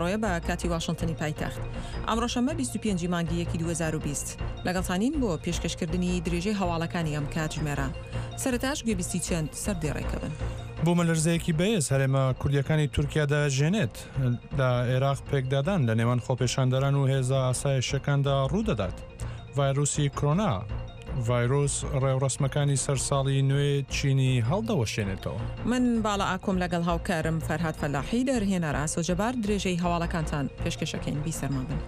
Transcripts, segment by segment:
ڕۆیە بە کاتی واشنتنی پایتەخت. ئەمڕۆ شەممە 25 ی مانگی یەکی 2020. لەگەڵتانین بۆ پێشکەشکردنی درێژەی هەواڵەکانی ئەم کاتژمێرە. سەرەتاش گوێبیستی چەند سەردێڕێکە بن. بوومەلەرزەیەکی بەهێز هەرێمە کوردییەکانی تورکیا دەهەژێنێت. لە عێراق پێکدادان لە نێوان خۆپێشاندەران و هێزە ئاسایشیەکاندا ڕوودەدات. ڤایرۆسی کرۆنا ڤایرۆس ڕێوڕەسمەکانی سەر ساڵی نوێ چینی هەڵدەوەشێنێتەوە. من باڵا ئاکۆم لەگەڵ هاوکارم فەرهاد فەلاحی دەرهێنەر ئاسۆ جەبار درێژەی هەواڵەکانتان پێشکەشەکەین بیسەرمان بن.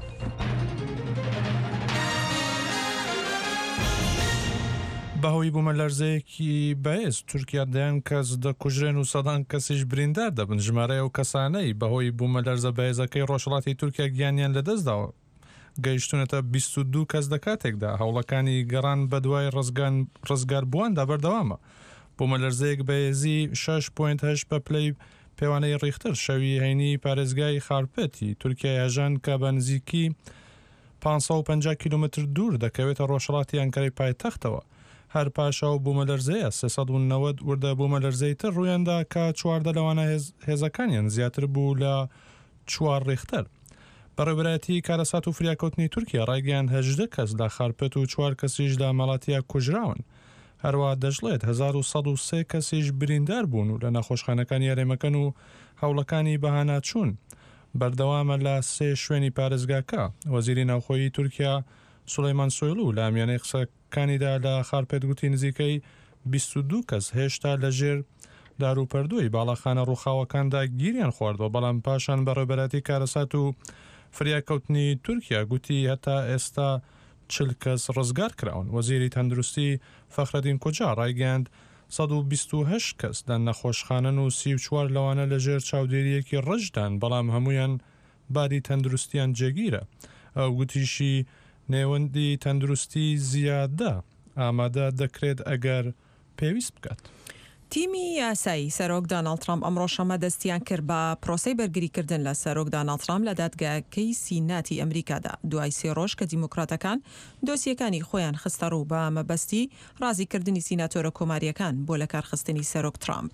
بەهۆی بوومەلەرزەیەکی بەهێز تورکیا دەیان کەس دەکوژرێن و سەدان کەسیش بریندار دەبن، ژمارەی ئەو کەسانەی بەهۆی بوومەلەرزە بەهێزەکەی ڕۆژهەڵاتی تورکیا گیانیان لەدەستداوە گەیشتوونەتە 22 کەس لەکاتێکدا هەوڵەکانی گەڕان بەدوای ڕزگاربوواندا بەردەوامە. بوومەلەرزەیەک بەهێزی 6.8 بە پلەی پێوانەی ڕیختەر شەوی هەینی پارێزگای خارپێتی تورکیای هەژاند کە بە نزیکی 550 کیلۆمەتر دوور دەکەوێتە ڕۆژهەڵاتی ئەنکەرەی پایتەختەوە. هەر پاش ئەو بوومەلەرزەیە 390 وردە بوومەلەرزەی تر ڕوویاندا کە 14 لەوانە هێزەکانیان زیاتر بوو لە چوار ڕیختەر. بەڕێوەبەرایەتیی کارەسات و فریاکەوتنی تورکیا ڕایگەیاند 18 کەس لە خارپێت و چوار کەسیش لە مەڵاتیا کوژراون. هەروەها دەشڵێت 1103 کەسیش بریندار بوون و لە نەخۆشخانەکانی هەرێمەکەن و هەوڵەکانی بەهاناچوون بەردەوامە لە سێ شوێنی پارێزگاکە. وەزیری ناوخۆیی تورکیا سولەیمان سۆیڵو لە میانەی قسە کانیدا لە خارپێت گوتی نزیکەی 22 کەس هێشتا لە ژێر داروپەردووی باڵاخانە ڕووخاوەکاندا گیریان خواردووە، بەڵام پاشان بەڕێوەبەرایەتی کارەسات و فریاکەوتنی تورکیا گوتی هەتا ئێستا 40 کەس ڕزگار کراون. وەزیری تەندروستی فەخرەدین کوجا ڕایگەیاند 128 کەس لە نەخۆشخانەن و 34 لەوانە لە ژێر چاودێرییەکی ڕژدان، بەڵام هەموویان باری تەندروستیان جێگیرە. ئەو گوتیشی، نێوەندی تەندروستی زیادە ئامادە دەکرێت ئەگەر پێویست بکات. تیمی یاسایی سەرۆک داناڵد ترامپ ئەمڕۆ شەممە دەستیان کرد بە پرۆسەی بەرگریکردن لە سەرۆک داناڵد ترامپ لە دادگاکەی سیناتی ئەمریکادا دوای سێ ڕۆژ کە دیموکراتەکان دۆسیەکانی خۆیان خستەڕوو بە مەبەستی ڕازیکردنی سیناتۆرە کۆمارییەکان بۆ لەکارخستنی سەرۆک ترامپ.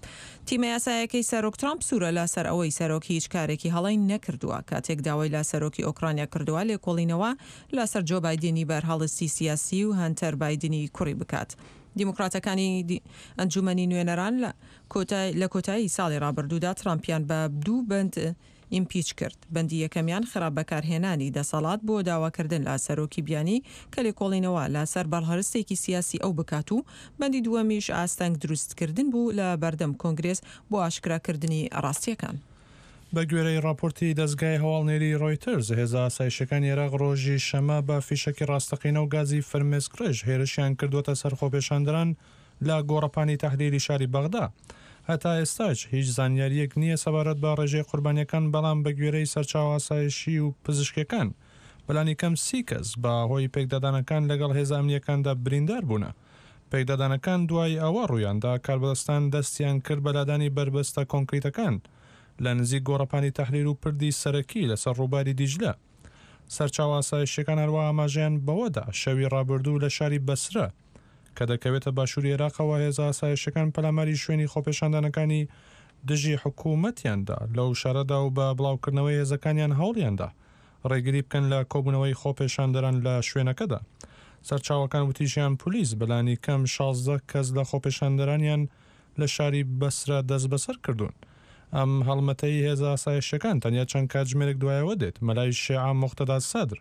تیمە یاسایەکەی سەرۆک ترامپ سوورە لەسەر ئەوەی سەرۆک هیچ کارێکی هەڵەی نەکردووە کاتێک داوای لە سەرۆکی ئۆکرانیا کردووە لێکۆڵینەوە لەسەر جۆ بایدنی بەرهەڵستی سیاسی و هەنتەر بایدنی کوڕی بکات. دیموکراتەکانی ئەنجومەنی نوێنەران لە کۆتایی ساڵی ڕابردوودا ترامپیان بە دوو بەند ئیمپیچ کرد، بەندی یەکەمیان خراپ بەکارهێنانی دەسەڵات بۆ داواکردن لە سەرۆکی بیانی کە لێکۆڵینەوە لە سەر بەڵهرستێکی سیاسی ئەو بکات و بەندی دووەمیش ئاستەنگ دروستکردن بوو لە بەردەم کۆنگرێس بۆ ئاشکراکردنی ڕاستییەکان. بە گوێرەی ڕاپۆرتی دەزگای هەواڵنێریی ڕۆیتەرز، هێزە ئاسایشیەکانی عێراق ڕۆژی شەمە بە فیشەکی ڕاستەقینە و گازی فرمێسکڕێژ هێرشیان کردووەتە سەر خۆپێشاندەران لە گۆڕەپانی تەحریری شاری بەغدا. هەتا ئێستاش هیچ زانیارییەک نییە سەبارەت بە ڕێژەی قوربانییەکان، بەڵام بە گوێرەی سەرچاوە ئاسایشی و پزیشکییەکان، بەلانیکەم سی کەس بە هۆی پێکدادانەکان لەگەڵ هێزە ئەمنییەکاندا بریندار بوونە. پێکدادانەکان دوای ئەوە ڕوویاندا کاربەدەستان دەستیان کرد بە لادانی بەربەستە کۆنکریتەکان لە نزیک گۆڕەپانی تەحریر و پردی سەرەکی لەسەر ڕووباری دیجلە. سەرچاوە ئاسایشییەکان هەروەها ئاماژەیان بەوەدا شەوی ڕابردوو لە شاری بەسرە کە دەکەوێتە باشووری عێراقەوە هێزە ئاسایشیەکان پەلاماری شوێنی خۆپێشاندانەکانی دژی حکوومەتیان دا لەو شارەدا و بە بڵاوکردنەوەی هێزەکانیان هەوڵیان دا ڕێگری بکەن لە کۆبوونەوەی خۆپێشاندەران لە شوێنەکەدا. سەرچاوەکان وتیشیان پولیس بەلانیکەم 16 کەس لە خۆپێشاندەرانیان لە شاری بەسرە دەستبەسەر کردوون. ئەم هەڵمەتەی هێزە ئاسایشیەکان تەنیا چەند کاتژمێرێک دوایەوە دێت مەلای شێعە موقتەدا سەدر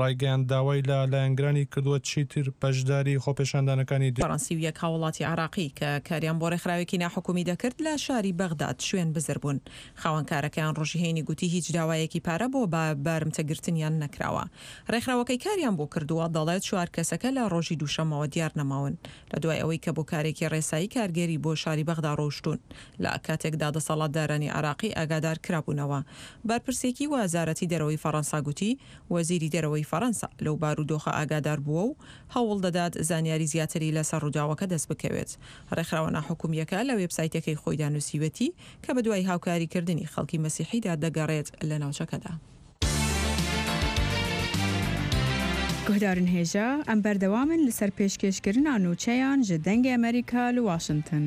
ڕایگەیاند داوای لە لایەنگرانی کردووە چیتر بەشداری خۆپێشاندانەکانی فەڕەنسی و یەک هاوڵاتی عێراقی کە کاریان بۆ ڕێکخراوێکی ناحکومی دەکرد لە شاری بەغداد شوێن بزر بوون. خاوەن کارەکەیان ڕۆژی هەینی گوتی هیچ داوایەکی پارە بۆ بە بارمتەگرتنیان نەکراوە. ڕێکخراوەکەی کاریان بۆ کردووە دەڵێت چوار کەسەکە لە ڕۆژی دووشەممەوە دیار نەماون لە دوای ئەوەی کە بۆ کارێکی ڕێسایی کارگێری بۆ شاری بەغدا ڕۆیشتوون لە کاتێکدا دەسەڵاتدارانی عێراقی ئاگادار کرابوونەوە. بەرپرسێکی وەزارەتی دەرەوەی فەڕەنسا گوتی وەزیری دەرەوەی فەڕەنسا لەو بارودۆخە ئاگادار بووە و هەوڵ دەدات زانیاری زیاتری لەسەر ڕووداوەکە دەست بکەوێت. ڕێکخراوە ناحکومییەکە لە وێبسایتەکەی خۆیدا نووسیویەتی کە بەدوای هاوکاریکردنی خەڵکی مەسیحیدا دەگەڕێت لە ناوچەکەدا. Guhdarên hêja, em berdewam in li ser pêşkêşkirina nûçeyan ji Dengê Amerîka li Washington.